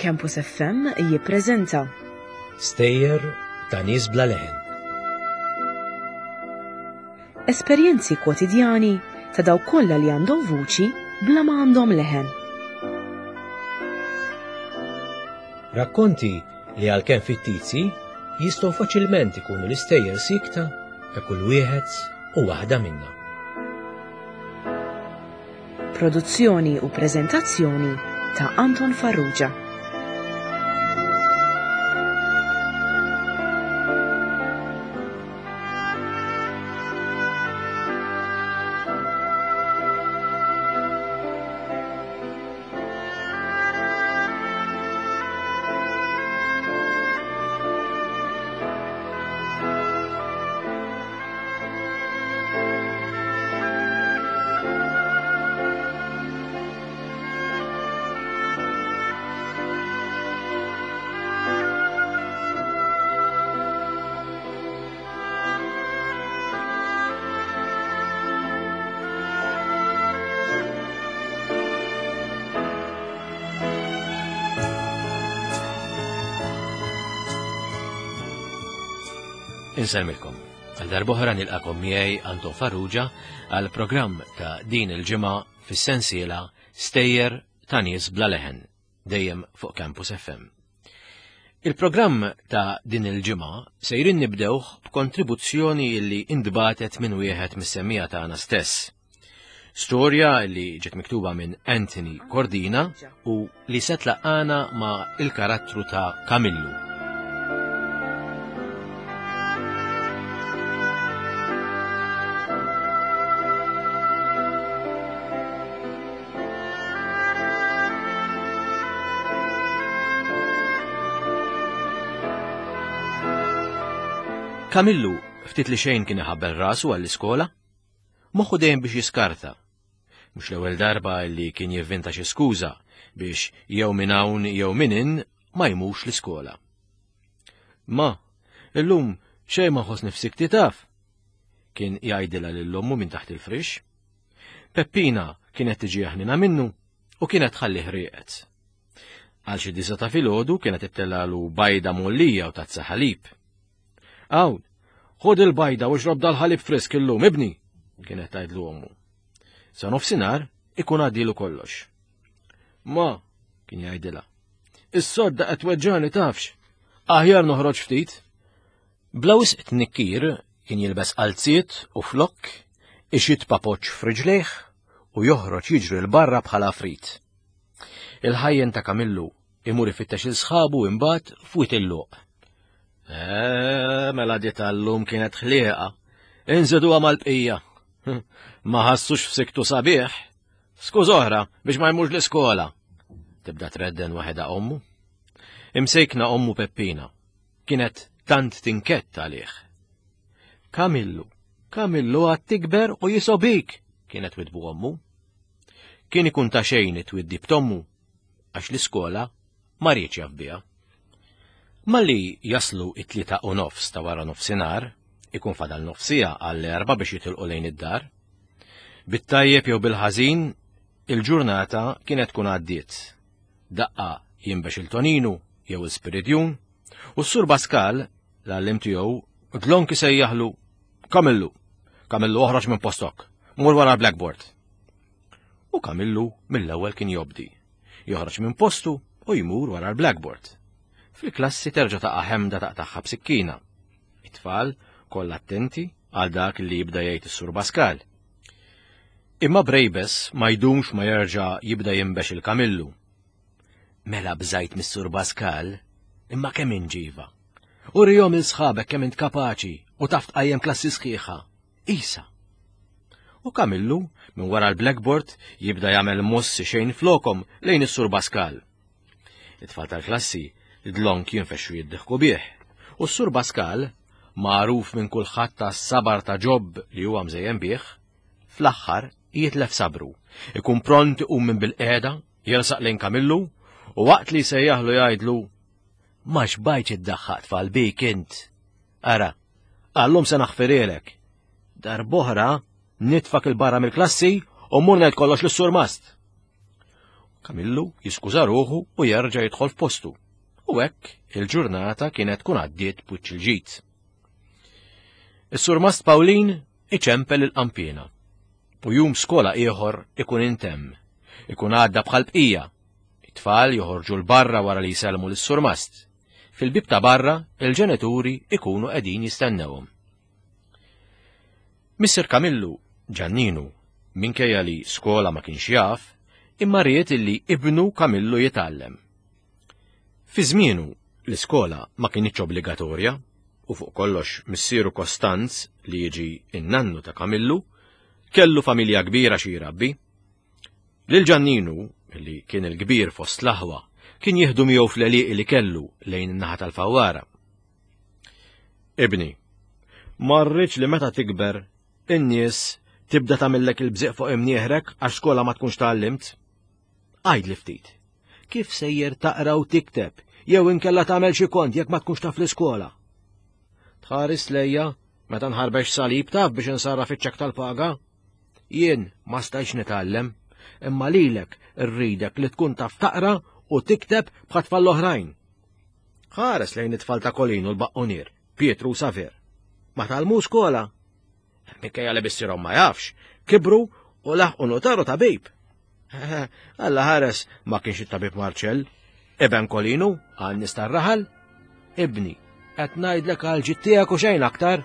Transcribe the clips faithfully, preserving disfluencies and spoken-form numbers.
Campus F M jippreżenta Stejjer ta' nies bla leħen. Esperjenzi kwotidjani ta' dawk kollha li għandhom vuċi bla ma għandhom leħen. Rakkonti li għalkemm fittizji jistgħu faċilment ikunu l-istejjer sikta ta' kull wieħed u waħda minna. Produzzjoni u preżentazzjoni ta' Anton Farrugia. Insellmilkom. Għal darb'oħra nilqakom miegħi Anton Farrugia għal programm ta' din il-ġimgħa fis-sensiela Stejjer ta' nies bla leħen, dejjem fuq Campus F M. Il-programm ta' din il-ġimgħa sejrin nibdewh b'kontribuzzjoni li intbagħtet minn wieħed mis-semmiegħa tagħna stess. Storja li ġiet miktuba minn Anthony Cordina u li se tlaqqana ma' il-karattru ta' Kamillu. Kamillu ftit li xejn kien iħabbel rasu għall-iskola, moħħu dejjem biex jiskarta. Mhux l-ewwel darba li kien jivvinta xi skuża biex jew minn hawn jew minn hinn ma jmurx l-iskola. "Ma, illum xejn ma nħoss nifsi taf," kien jgħidilha lil ommu minn taħt il-frix. Peppina kienet tiġi ħnina minnu u kienet tħallih rieqed. Għal xi disgħa ta' filgħodu kienet ittellalu bajda mgħollija u tazza ħalib. "Hawn, ħud il-bajda u xrob dal-ħalib frisk illum, ibni," kienet tgħidlu ommu. Sa nofsinhar ikun għaddilu kollox. "Ma," kien jgħidilha, "is-sodda qed tweġġani tafx, aħjar noħroġ ftit." Bla wisq tnikkir kien jilbes qalziet u flokk, ixit papoċ f'riġlejh u joħroġ jiġri 'l barra bħala frit. Il-ħajjen ta' Kamillu imur ifittex il sħabu imbagħad fwit il-luq. "Eh, mela di tal-lum kienet ħlieqa. Inżiduha mal-bqija. Ma ħassux f'siktu sabiħ. Skuż oħra biex ma jmurx l-iskola." Tibda tredden waħedha ommu. Imsejkna ommu Peppina. Kienet tant tinkett għalih. "Kamillu, Kamillu għad tikber u jisobik," kienet twidbu ommu. Kien ikun ta' xejn it-twiddib t'ommu, għax l-iskola ma riedx jaf biha. Malli jaslu it-tlieta u nofs ta' wara nofsinhar, ikun fadal nofsija għall-erba biex jitilqu lejn id-dar. Bit-tajjeb jew bil-ħażin, il-ġurnata kienet tkun għaddiet. Daqqa jinbex il-Toninu jew il-Spiridjun, u s-Sur Pascal, l-għallim tiegħu, dlonk isejjaħlu: "Kamillu, Kamillu, oħroġ minn postok, mur wara l-blackboard." U Kamillu mill-ewwel kien jobdi. Joħroġ minn postu u jmur wara l-blackboard. Fil-klassi terġa' taqa' ħemda taqtagħha b'sikkina. It-tfal kollha attenti għal dak li jibda jgħid is-Sur Pascal. Imma Brejbes ma jdumx ma jerġa' jibda jinbex il-Kamillu. "Mela bżajt mis-Sur Pascal, imma kemm inġiva. Urihom lil sħabek kemm int kapaċi u taf tqajjem klassi sħiħa. Isa." U Kamillu minn wara l-blackboard jibda jagħmel mossi xejn flokom lejn is-Sur Pascal. It-tfal tal-klassi dlonk jinfexxu jiddiħku bih. U s-Sur Pascal, magħruf minn kulħadd tas-sabar ta' Ġob li huwa mżejjen bih, fl-aħħar jitlef sabru. Ikun pront iqum minn bil-qiegħda, jersaq lejn Kamillu u waqt li sejjaħlu jgħidlu: "Ma xbajtx iddaħħaq tfal bik int. Ara, għallum se naħfirilek. Darb'oħra nitfak 'il barra mill-klassi u mmur ngħid kollox lis-Sur Mast." Kamillu jiskuża ruħu u jerġa' jidħol f'postu. U hekk il-ġurnata kienet tkun għaddiet b'wiċċ il-ġid. Is-Surmast Pawlin iċempel il-qanpiena. U jum skola ieħor ikun intemm. Ikun għadda bħal bqija. It-tfal joħorġu 'l barra wara li jsellmu lis-surmast. Fil-bib ta' barra il-ġenituri ikunu qegħdin jistennewhom. Missier Kamillu, Ġanninu, minkejja li skola ma kienx jaf, imma ried illi ibnu Kamillu jitgħallem. Fi żmienu l-iskola ma kinitx obbligatorja u fuq kollox missieru Kostanz li jiġi in-nannu ta' Kamillu kellu familja kbira xi jrabbi. Lil Ġanninu, li kien il-kbir fost l-aħwa, kien jieħdu miegħu fl-għelieqi li kellu lejn in-naħa tal-Fawwara. Ibni, ma rridx li meta tikber in-nies tibda tagħmillek il-bżieq fuq imnieħrek għax skola ma tkunx tgħallimt. Għidli ftit, kif sejjer taqra u tikteb jew inkella tagħmel xi kont jekk ma tkunx taf l-iskola? Tħares lejja meta nħarbex salib taf biex insarraf iċ-ċekk tal-paga? Jien ma stajtx nitgħallem, imma lilek irridek li tkun taf taqra u tikteb bħat tfal l-oħrajn. Ħares lejn it-tfal ta' Kolin u l-Baqqonier, Pietru u Saver. Ma tgħallmu skola. Minkejja li missierhom ma jafx, kibru u laħqu notaru tabib. Alla ħares ma kienx it-tabib Marċell, Eben Kolinu, għan-nies tar-raħal. Ibni, qed ngħidlek għal ġid tiegħek u xejn aktar,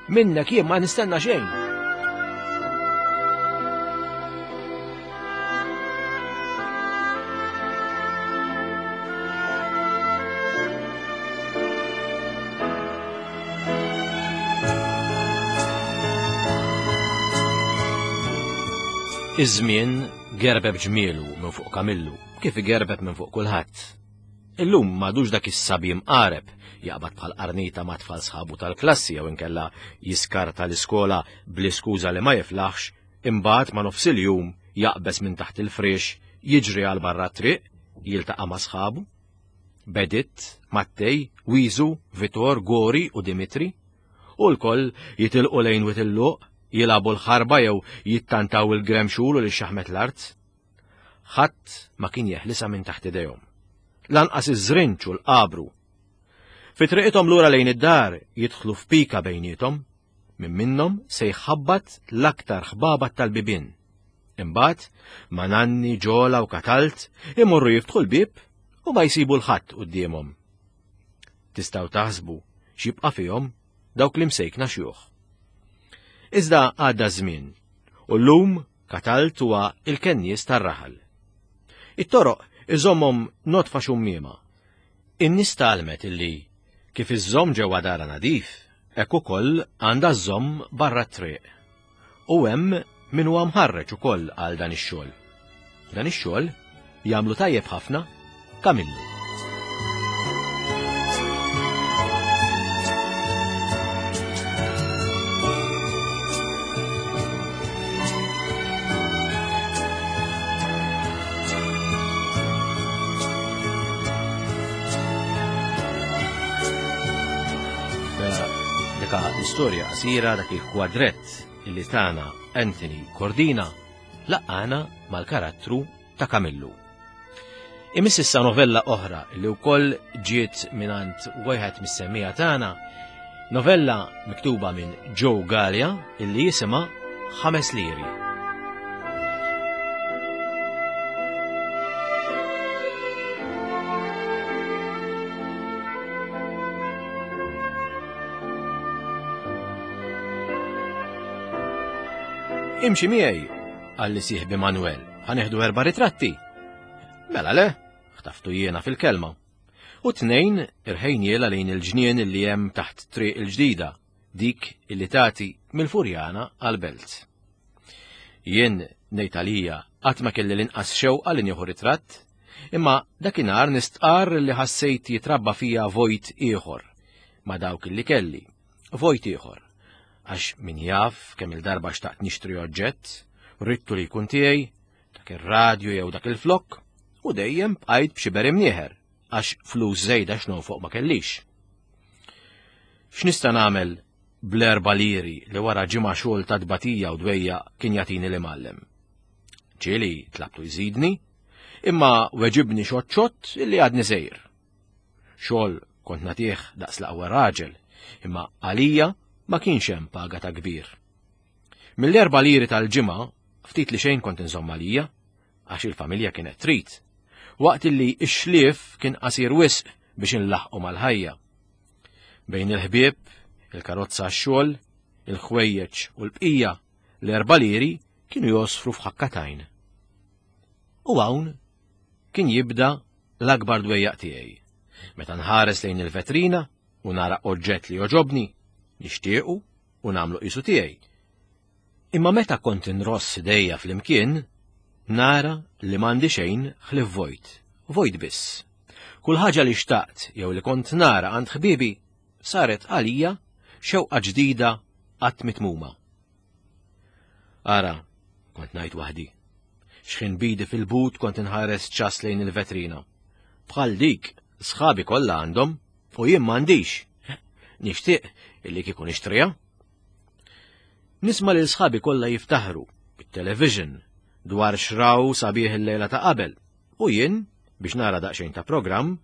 minnek jien ma nistenna xejn. Iż-żmien gerbeb ġmielu minn fuq Kamillu, kif igerbeb minn fuq kulħadd. Illum m'għadux dak is-sabi mqareb jaqbad bħal qarnita ma' tfal sħabu tal-klassi jew inkella jiskarta l-iskola bl-iskuża li ma jiflaħx, imbagħad ma' nofs il-jum jaqbeż minn taħt il-friex, jiġri għal barra t-triq, jiltaqa' ma' sħabu. Bedit, Mattej, Wiżu, Vitor, Gori u Dimitri, u l-koll jitilqu lejn Wied il-Luq, jilagħbu l-ħarba jew jittantaw il-gremxul u li xaħmet l-art. Ħadd ma kien jeħlisa minn taħt idejhom. Lanqas iż-żrinċ u l-qabru. Fi triqithom lura lejn id-dar jidħlu f'pika bejniethom, minn minnhom se jħabbat l-aktar ħbabat tal-bibien. Imbagħad ma' Nanni, Ġola u Katalt imorru jiftħu l-bieb u ma jsibu l-ħadd quddiemhom. Tistgħu taħsbu x'jibqa' fihom dawk li msejkna xjuħ. Iżda għadda żmien, u llum Katalt huwa il-kennies tar-raħal. It-toroq iżommhom notfa xummiema. In-nies tgħallmet illi kif iżżomm ġewwa dara nadif, hekk ukoll għandha żżomm barra t-triq. U hemm min huwa mħarreġ ukoll għal dan ix-xogħol. Dan ix-xogħol jagħmlu tajjeb ħafna Kamillu. L-istorja qasira dak il-kwadrett illi tana Anthony Cordina laqana mal-karattru ta' Kamillu. Imiss issa novella oħra li wkoll ġiet mingħand wieħed mis-semmija tagħna, novella miktuba minn Joe Galea illi jisimha Ħames Liri. Imxi miegħi, qalli sieħbi Manuel, ħa nieħdu erba' ritratti. Mela le, ħtaftu jiena fil-kelma. U tnejn irħejniela lejn il-ġnien li hemm taħt triq il-ġdida, dik illi tagħti mill-Furjana għall-belt. Jien ngħid għalija qatt ma kelli l-inqas xewqa li nieħu ritratt, imma dakinhar nistqarr li ħassejt jitrabba fija vojt ieħor ma' dawk illi kelli, vojt ieħor. Għax min jaf kemm il-darba xtaqt nixtri oġġett, ridtu li jkun tiegħi, dak ir-radju jew dak il-flokk, u dejjem bqajt b'xi berim nieħer, għax flus żejda x'nonfoq ma kellix. X'nista' nagħmel bl-erba' liri li wara ġimgħa xogħol ta' tbatija u dwejja kien jagħtini l-imgħallem? Ġieli tlabtu jżidni, Imma weġibni xott xott illi għadni sejr. Xogħol kont nagħtih daqs l-aqwa raġel, imma għalija ma kienx hemm paga ta' kbir. Mill-erba' liri tal-ġimgħa ftit li xejn kont inżomm għalija, għax il-familja kienet trid, waqt illi x-xlief kien qasir wisq biex inlaħqu mal-ħajja. Bejn il-ħbieb, il-karozza għax-xogħol, il-ħwejjeġ u l-bqija, l-erba' liri kienu josfru f'ħakkatajn. U hawn kien jibda l-akbar dwejjaq tiegħi. Meta nħares lejn il-vetrina u nara oġġett li joġobni, nixtiequ u nagħmlu qisu tiegħi. Imma meta kont inross idejja flimkien, nara li m'għandi xejn ħlief vojt, vojt biss. Kull ħaġa li xtaqt jew li kont nara għand ħbibi saret għalija xewqa ġdida qatt mitmuma. Ara, kont ngħid waħdi. Xħin bidi fil-but kont inħares ċas lejn il-vetrina. Bħal dik, sħabi kollha għandhom u jien m'għandix. Nixtieq illi kieku nixtriha. Nisma' lil sħabi kollha jiftaħru bit-television dwar xraw sabiħ il-lejla ta' qabel u jien, biex nara daqsxejn ta' programm,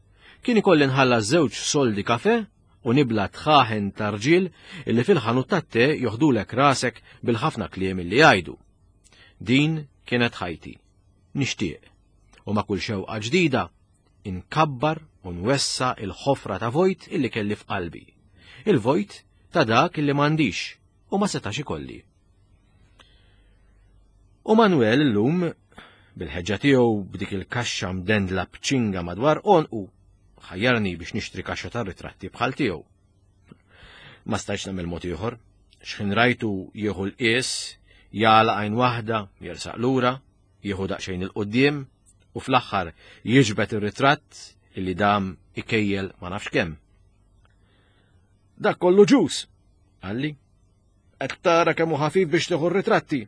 kien ikolli nħallas żewġ soldi kafe u nibla tħaħen ta' rġiel illi fil-ħanut tat-te joħdulek rasek bil-ħafna kliem illi jgħidu. Din kienet ħajti. Nixtieq. U ma' kull xewqa ġdida inkabbar u nwessa il-ħofra ta' vojt illi kelli f'qalbi. Il-vojt ta' dak illi m'għandix u ma setax ikolli. U Manuel illum, bil-ħeġġa tiegħu b'dik il-kaxxa mdendla b'ċinga madwar għonqu, ħajjarni biex nixtri kaxxa ta' ritratti bħal tiegħu. Ma stajtx nagħmel mod ieħor, x'ħin rajtu jieħu l-qies, jagħlaq għajn waħda, jersaq lura, jieħu daqsxejn il-quddiem u fl-aħħar jiġbed ir-ritratt illi dam ikejjel ma nafx kemm. Dak kollu ġus, qalli. Qed tara kemm hu ħafif biex tieħu r-ritratti.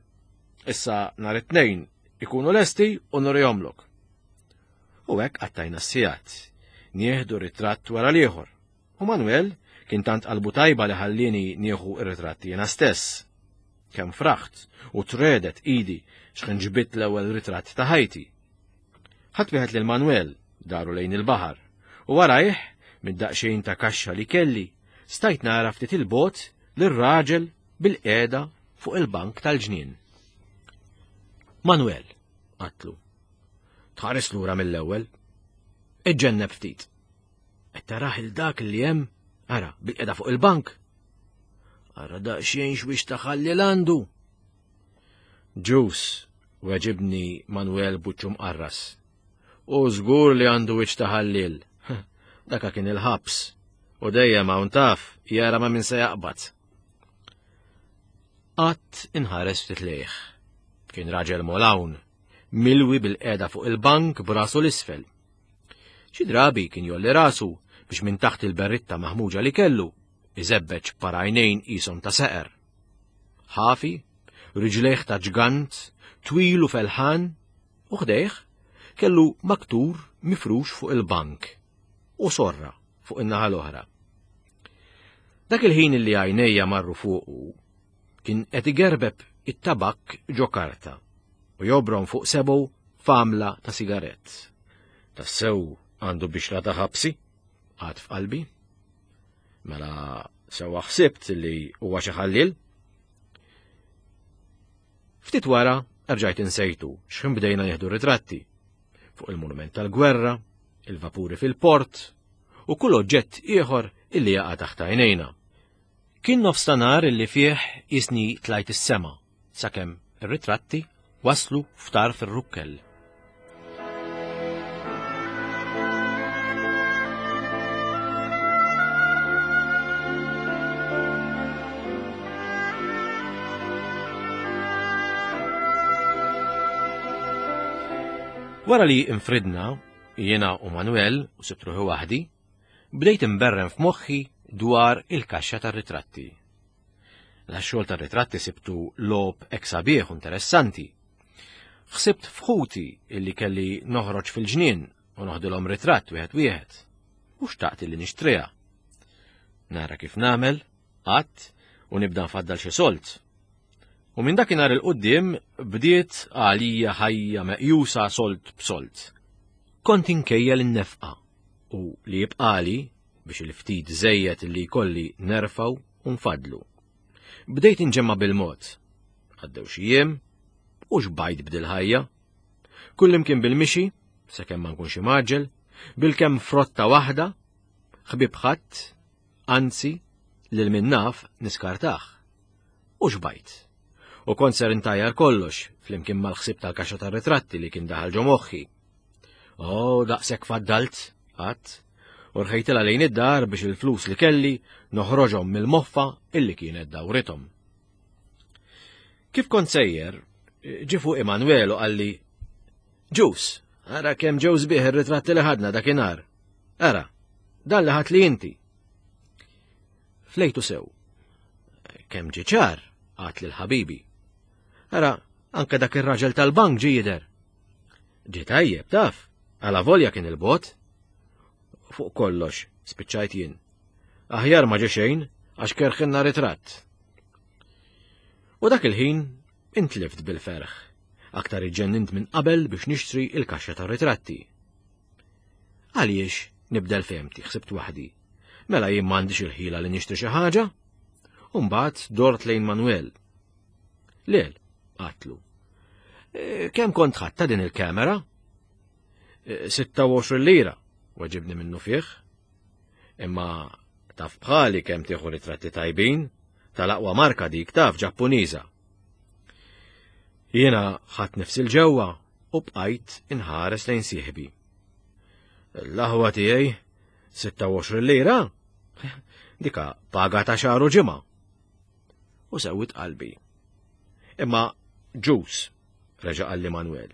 Issa nhar it-tnejn ikunu lesti u nurihomlok. U hekk qattajna s-sigħat, nieħdu ritratt wara l-ieħor. U Manuel kien tant qalbu tajba li ħallini nieħu r-ritratti jiena stess. Kemm fraħt u tredet idi x'ħin ġbidt l-ewwel ritratt ta' ħajti. Ħadd wieħed lil Manuel daru lejn il-baħar u warajh mid-daqsxejn ta' kaxxa li kelli stajt nara ftit il-bot lir-raġel bil-qiegħda fuq il-bank tal-ġnien. Manuel, qatlu. Tħares lura mill-ewwel. Iġġenneb ftit. Qed tarah il dak li hemm, ara, bil-qiegħda fuq il-bank. Ara daqsxejn x'wiex taħalli l-għandu. Ġus, weġibni Manuel buċċu mqarras. U żgur li għandu wiċċ ta' ħalliel. Daka kien il-ħabs. U dejjem hawn taf jara ma min se jaqbad. Qatt inħares ftit lejh. Kien raġel molawn, milwi bil-qeda fuq il-bank b'rasu l-isfel. Xi drabi kien jolli rasu biex minn taħt il-berritta maħmuġa li kellu iżebbeġ parajnejn qishom ta' seqer. Ħafi, riġlejh ta' ġgant, twil u felħan, u ħdejh kellu maktur mifrux fuq il-bank u sorra fuq in-naħa l-oħra. Dak il-ħin li għajnejja marru fuqu kien qed igerbeb it-tabak ġo karta u jobrom fuq sebu famla ta' sigarett. Tassew għandu bixra ta' ħabsi, għad f'qalbi. Mela sewa ħsibt li huwa xi ħalliel. Ftit wara rġajt insejtu x'ħin bdejna nieħdu ritratti fuq il-monument tal-gwerra, il-vapuri fil-port u kull oġġett ieħor illi jaqa' taħt għajnejna. Kien nofstanhar illi fih isni tlajt is-sema sakemm ir-ritratti waslu f'tarf ir-rukkel. Wara li infridna, jiena u Manuel u sibt ruħi waħdi, bdejt imberren f'moħħi dwar il-kaxxa tar-ritratti. La xogħol tar-ritratti sibtu logħob hekk sabiħ u interessanti. Ħsibt f'ħuti illi kelli noħroġ fil-ġnien u noħdilhom ritratt wieħed wieħed, u xtaqt illi nixtriha. Nara kif nagħmel, qatt u nibda nfaddal xi solt. U minn dakinhar il-quddiem bdiet għalija ħajja meqjusa solt b'solt. Kont inkejjel in-nefqa u li jibqali biex il-ftit żejjed li jkolli nerfgħu u nfadlu. Bdejt inġemma bil-mod. Għaddew xi jiem u xbajt b'dil-ħajja. Kullimkien bil-mixi, sakemm ma nkunx imgħaġġel, bil-kemm frotta waħda, ħbieb ħadd, anzi, lil min naf niskartah. U xbajt. U kont ser intajjar kollox, flimkien mal-ħsieb tal-kaxxa tar-ritratti li kien daħal ġo moħħi. Oh, daqshekk faddalt, għadt, u rħejtilha lejn id-dar biex il-flus li kelli noħroġhom mill-moffa illi kienet dawrithom. Kif kont sejjer, ġie fuqi Manuel u qalli, Ġus, ara kemm ġew sbieħ ir-ritratti li ħadna dakinhar. Ara, dan li ħadt li inti. Flejtu sew. Kemm ġie ċar, għedt lil ħabibi. Ara, anke dak ir-raġel tal-bank ġie jidher. Ġie tajjeb, taf, għala volja kien il-bogħod. Fuq kollox, spiċċajt jien. Aħjar ma ġie xejn, għax kerħinna ritratt. U dak il-ħin intlift bil-ferħ. Aktar iġġennint minn qabel biex nixtri il-kaxxa tar-ritratti. Għaliex nibdel fehmti, ħsibt waħdi. Mela jien m'għandix il-ħila li nixtri xi ħaġa? U mbagħad dort lejn Manuel. Lel, għedtlu. E, kemm kont ħadta din il-kamera? E, sitta u għoxrin lira, weġibni minnu fih. Imma taf bħali kemm tieħu ritratti tajbin, tal-aqwa marka dik taf Ġappuniża. Jiena ħadt nifs 'il ġewwa u bqajt inħares lejn sieħbi. L-aħwa tiegħi sitta u għoxrin lira? Dika paga ta' xahar u ġimgħa. U sewwit qalbi. Imma ġus, reġa' qalli Manuel.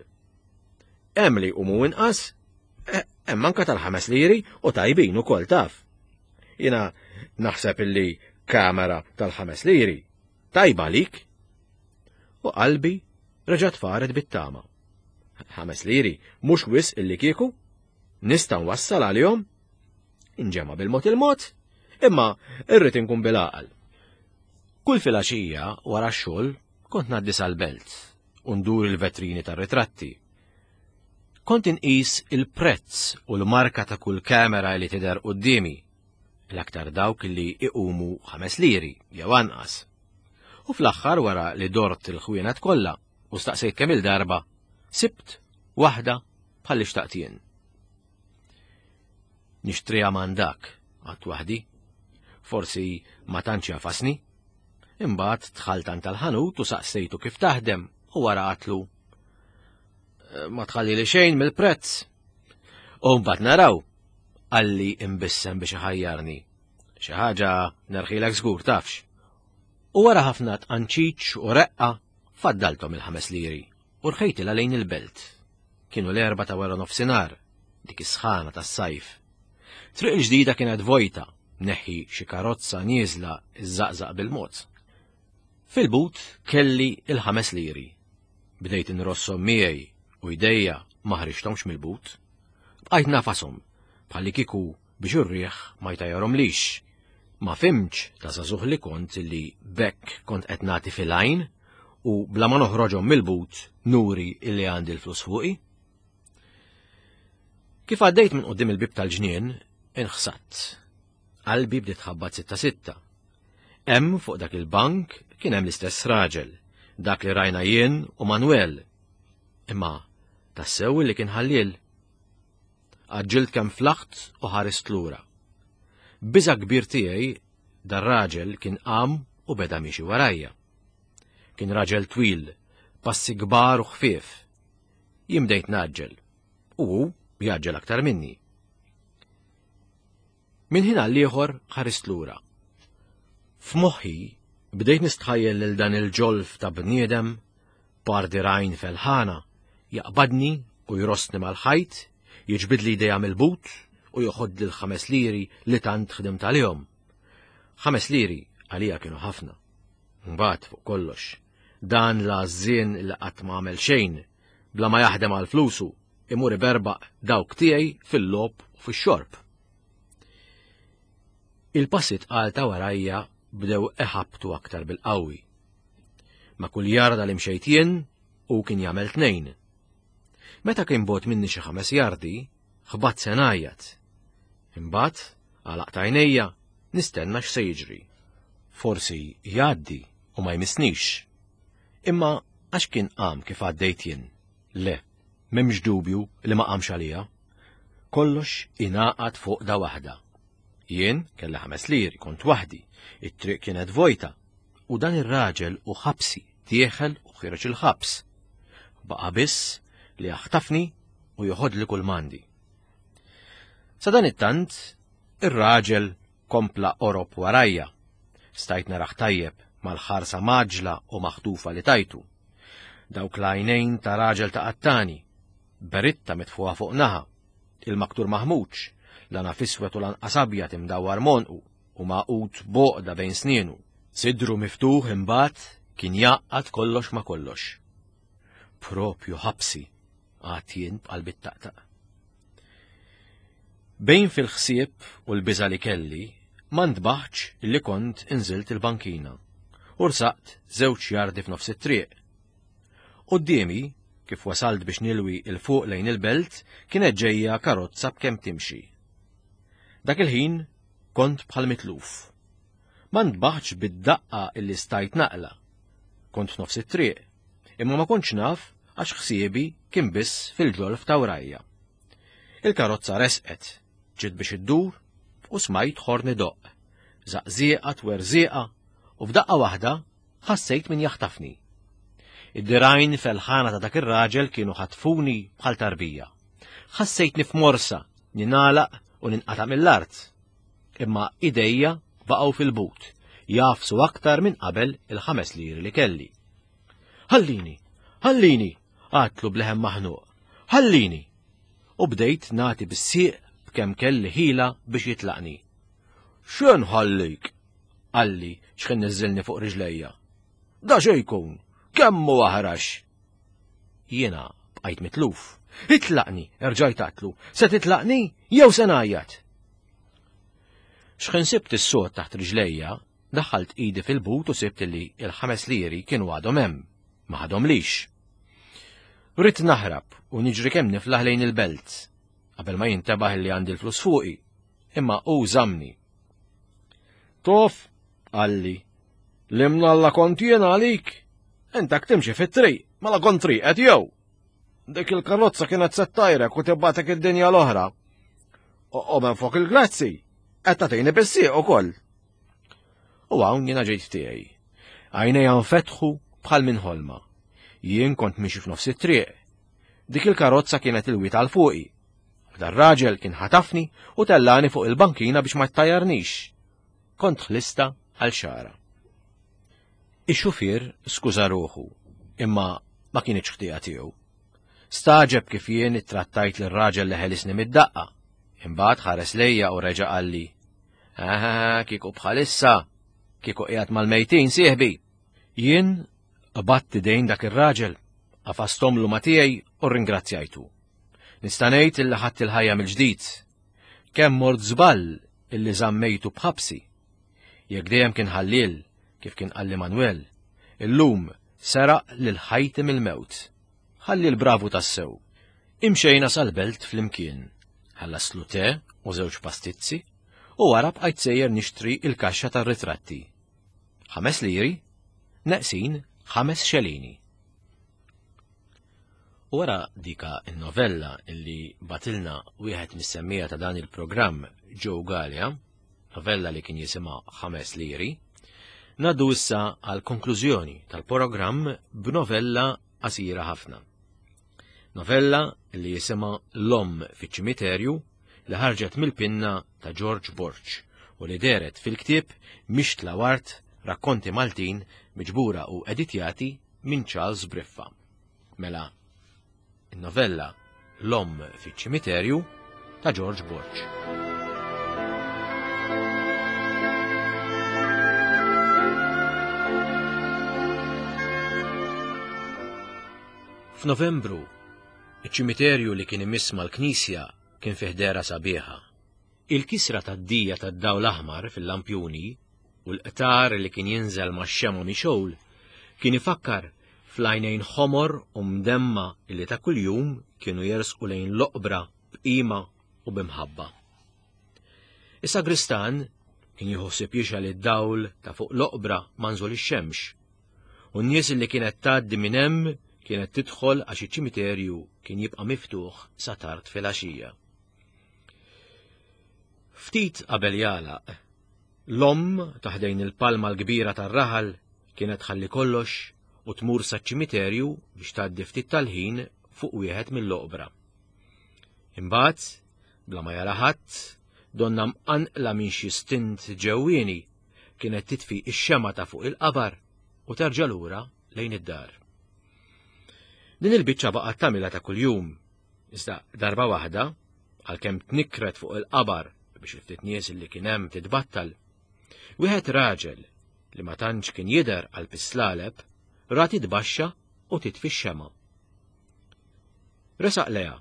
Hemm li jqumu inqas, hemm anka tal-ħames liri u tajbin ukoll taf. Jiena naħseb illi kamera tal-ħames liri tajba lik. U qalbi reġgħet faret bit-tama. Ħames liri mhux wisq illi kieku, nista' nwassal għalihom. Inġema' bil-mod il-mod, imma irrid inkun bil-għaqal. Kull filgħaxija wara x-xogħol kont ngħaddi sal-belt u ndur il-vetrini tar-ritratti. Kont inqis il-prezz u l-marka ta' kull kamera li tidher quddiemi, l-aktar dawk li iqumu ħames liri jew anqas. U fl-aħħar wara li dort il-ħwienet kollha u staqsejt kemm il-darba, sibt waħda bħal li xtaqt jien. Nixtriha mandak, għedt waħdi. Forsi ma tantx jafasni. Imbagħad dħalt għand tal-ħanut u saqsejtu kif taħdem u wara għedtlu. Ma tħalli li xejn mill-prezz. U mbagħad naraw, qalli imbissem biex iħajjarni. Xi ħaġa nerħilek żgur tafx. U wara ħafna tqanċiċ u reqqa faddalthom il-ħames liri u rħejtilha lejn il-belt. Kienu l-erba ta' wara nofsinhar, dik is-sħana tas-sajf. Triq il-ġdida kienet vojta, neħħi xi karozza nieżla iż-żaqżaq bil-mod. Fil-but kelli il-ħames liri. Bdejt inrossom miegħi u jdejja ma ħriġthomx mill-but. Bqajt nagħfashom bħalli kieku biex ir-riħ ma jtajjarhomlix. Ma fhimtx ta' żagħżugħ li kont li bekk kont qed nagħti fil-għajn u bla ma noħroġhom mill-but nuri illi għandi l-flus fuqi. Kif għaddejt minn quddiem il-bib tal-ġnien, inħsadt. Qalbi bdiet tħabbat sitta sitta. Hemm fuq dak il-bank kien hemm l-istess raġel, dak li rajna jien u Manuel. Imma tassew li kien ħalliel. Għaġġilt kemm flaħt u ħarist lura. Biża kbir tiegħi dar-raġel kien qam u beda miexi warajja. Kien raġel twil, passi kbar u ħfief. Jien bdejt ngħaġġel, u hu jgħaġġel aktar minni. Minn ħin għal ieħor ħarist lura. F'moħħi bdejt nistħajjel lil dan il-ġolf ta' bniedem par dirgħajn felħana jaqbadni u jrossni mal-ħajt, jiġbidli jdejja mill-but u joħodli l-ħames liri li tant ħdimt għalihom. Ħames liri għalija kienu ħafna. Mbagħad fuq kollox, dan l-għażżien li qatt ma għamel xejn, bla ma jaħdem għal flusu, imur iberbaq dawk tiegħi fil-logħob u fix-xorb. Il-passi tqal ta' warajja bdew iħabtu aktar bil-qawwi. Ma' kull jarda li mxejt jien u kien jagħmel tnejn. Meta kien bogħod minni xi ħames jardi, Ħbatt se ngħajjat. Imbagħad għalaqt għajnejja nistenna x'se jiġri. Forsi jgħaddi u ma jmissnix. Imma għax kien qam kif għaddejt jien? Le, m'hemmx dubju li ma qamx għalija. Kollox ingħaqad fuq da waħda. Jien kelli ħames liri, kont waħdi, it-triq kienet vojta, u dan ir-raġel u ħabsi dieħel u ħireġ il-ħabs. Baqa' biss li jaħtafni u joħodli kull mandi. Sa dan it-tant, ir-raġel kompla qorob warajja. Stajt naraħ tajjeb mal-ħarsa maġla u maħtufa li tajtu. Dawk l-għajnejn ta' raġel ta' qattani, beritta mitfuha fuq naħa, il-maktur maħmuġ, lana fiswet u lanqas abjad imdawwar monqu u maqut boqda bejn snienu. Sidru miftuħ imbagħad kien jaqgħad kollox ma kollox. Propju ħabsi, għad jien b'qalbi taqtaq. Bejn fil-ħsieb u l-biża' li kelli, ma ntbaħtx illi kont inżilt il-bankina u rsaqt żewġ jardi f'nofs it-triq. Quddiemi, kif wasalt biex nilwi il fuq lejn il-belt, kienet ġejja karozza b'kemm timxi. Dak il-ħin kont bħal mitluf. Ma ntbaħtx bid-daqqa illi stajt naqla. Kont f'nofs it-triq, imma ma kontx naf għax ħsiebi kien biss fil-ġolf ta' wrajja. Il-karozza resqet, ġiet biex iddur u smajt ħorn idoqq. Żaqżieqa twerżieqa u f'daqqa waħda ħassejt min jaħtafni. Id-dirajn felħana ta' dak ir-raġel kienu ħatfuni bħal tarbija. Ħassejtni f'morsa, ninalaq u ninqata' mill-art. Imma idejja baqgħu fil-but, jafsu aktar minn qabel il-ħames liri li kelli. Ħallini, ħallini, għatlu bleħem maħnuq, ħallini. U bdejt nagħti bis-sieq b'kemm kelli ħila biex jitlaqni. X'en ħallik? Qalli x'ħin niżżilni fuq riġlejja. Da xejn jkun, kemm hu aħrax. Jiena bqajt mitluf. Itlaqni, erġajt għatlu, se titlaqni jew se ngħajjat. X'ħin sibt is-sod taħt riġlejja, daħħalt idi fil-but u sibt li il-ħames liri kienu għadhom hemm, ma ħadhomlix. Ridt naħrab u niġri kemm niflaħ lejn il-belt, qabel ma jintebaħ li għandi l-flus fuqi, imma hu żamni. Tof, qalli, li mnalla kont jien għalik, intak timxi fit-triq, mela kont triqet jew. Dik il-karozza kienet se ttajrek u tibgħatek id-dinja l-oħra. U minn fuq il-grazzi, qed tagħtini bis-sieq ukoll. U hawn jiena ġejt tiegħi. Għajnejja nfetħu bħal minn ħolma. Jien kont miexi f'nofs it-triq. Dik il-karozza kienet il-wiet għal fuqi. U dar-raġel kien ħatafni u tellani fuq il-bankina biex ma ttajjarnix. Kont ħlista għal xara. Ix-xufier skuża ruħu, imma ma kienx ħtija tiegħu. Staġeb kif jien ittrattajt lir-raġel li ħelisni mid-daqqa. Imbagħad ħares lejja u reġa' qalli: "Ah, kieku bħalissa, kieku qiegħed mal-mejtin sieħbi." Jien qbadt idejn dak ir-raġel, qafastomlu ma tiegħi u rringrazzjajtu. Nista' ngħid illi ħadt il-ħajja mill-ġdid. Kemm mort żball illi żammejtu b'ħabsi. Jekk dejjem kien ħalliel, kif kien qalli Manuel, illum seraq lil ħajti mill-mewt. Ħalli l-bravu tassew. Imxejna sal-belt flimkien, ħallaslu te u żewġ pastizzi, u wara bqajt sejjer nixtri il-kaxxa tar-ritratti. Ħames liri, neqsin ħames xelini. U wara dika il-novella illi batilna wieħed mis-semmija ta' dan il-programm Joe Galea, novella li kien jisimha Ħames Liri, ngħaddu issa għal konklużjoni tal-programm b'novella qasira ħafna. Novella li jisimha L-Omm fiċ-ċimiterju li ħarġet mill-pinna ta' George Borg u li dehret fil-ktieb Mixtla Wart Rakkonti Maltin miġbura u editjati minn Charles Briffa. Mela, il-novella L-Omm fiċ-ċimiterju ta' George Borg. F'Novembru, iċ-ċimiterju li kien imiss mal-knisja kien fih dehra sabiħa. Il-kisra tad-dija tad-dawl aħmar fil-lampjuni u l-qtar li kien jinżel max-xemgħa mixgħul kien ifakkar fl-għajnejn ħomor u mdemma li ta' kuljum kienu jersqu lejn l-oqbra b'qima u b'imħabba. Is-sagristan kien jieħu ħsieb jixgħel id-dawl ta' fuq l-oqbra ma' nżul ix-xemx, u n-nies li kienet tgħaddi minn hemm kienet tidħol għax iċ-ċimiterju kien jibqa' miftuħ sa tard filgħaxija. Ftit qabel jagħlaq, l-omm ta' ħdejn il-palma l-kbira tar-raħal kienet tħalli kollox u tmur saċ-ċimiterju biex tgħaddi ftit tal-ħin fuq wieħed mill-oqbra. Imbagħad, bla ma jara ħadd, donna mqanqla minn xi stint ġewwieni, kienet titfi x-xema ta' fuq il-qabar u terġa' lura lejn id-dar. Din il-biċċa baqgħet tagħmilha ta' kuljum, iżda darba waħda, għalkemm tnikkret fuq il-qabar biex il-ftit nies li kien hemm titbattal, wieħed raġel li ma tantx kien jidher għal pislaleb ra titbaxxa u titfi x-xema. Resaq leha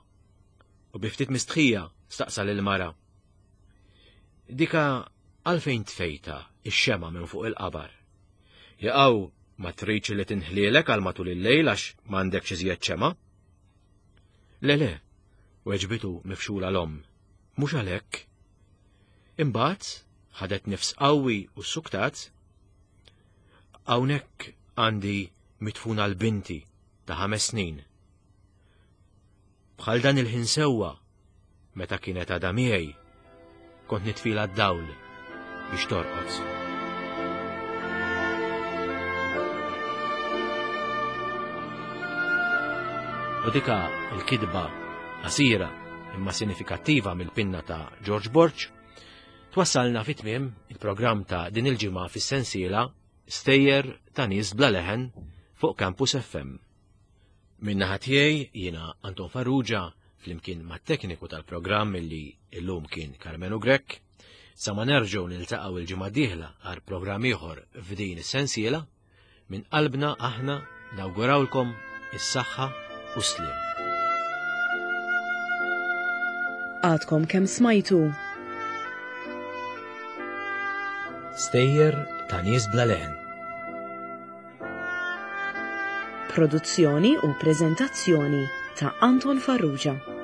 u bi ftit mistħija staqsa lil mara. Dika għalfejn tfejta ix-xema minn fuq il-qabar? Jaqaw ma tridx li tinħlielek għal matul il-lejl għax m'għandekx iżjed xema? Le le, weġbitu mifxula l-omm, mhux għalhekk. Imbagħad ħadet nifs qawwi u suktat. Hawnhekk għandi mitfuna l-binti ta' ħames snin. Bħal dan il-ħin sewwa, meta kienet għadha miegħi, kont nitfila d-dawl biex torqod. U dika l-kitba qasira imma sinifikattiva mill-pinna ta' George Borg twassalna fi tmiem il-programm ta' din il-ġimgħa fis-sensiela Stejjer ta' nies bla leħen fuq Campus F M. Min-naħa tiegħi jiena Anton Farrugia flimkien mat-tekniku tal-programm illi illum kien Karmenu Grech, sa ma nerġgħu niltaqgħu il-ġimgħa d-dieħla għal programm ieħor f'din is-sensiela, minn qalbna aħna nawgurawlkom is-saħħa u s-sliem. Għadkom kemm smajtu Stejjer ta' nies bla leħen. Produzzjoni u preżentazzjoni ta' Anton Farrugia.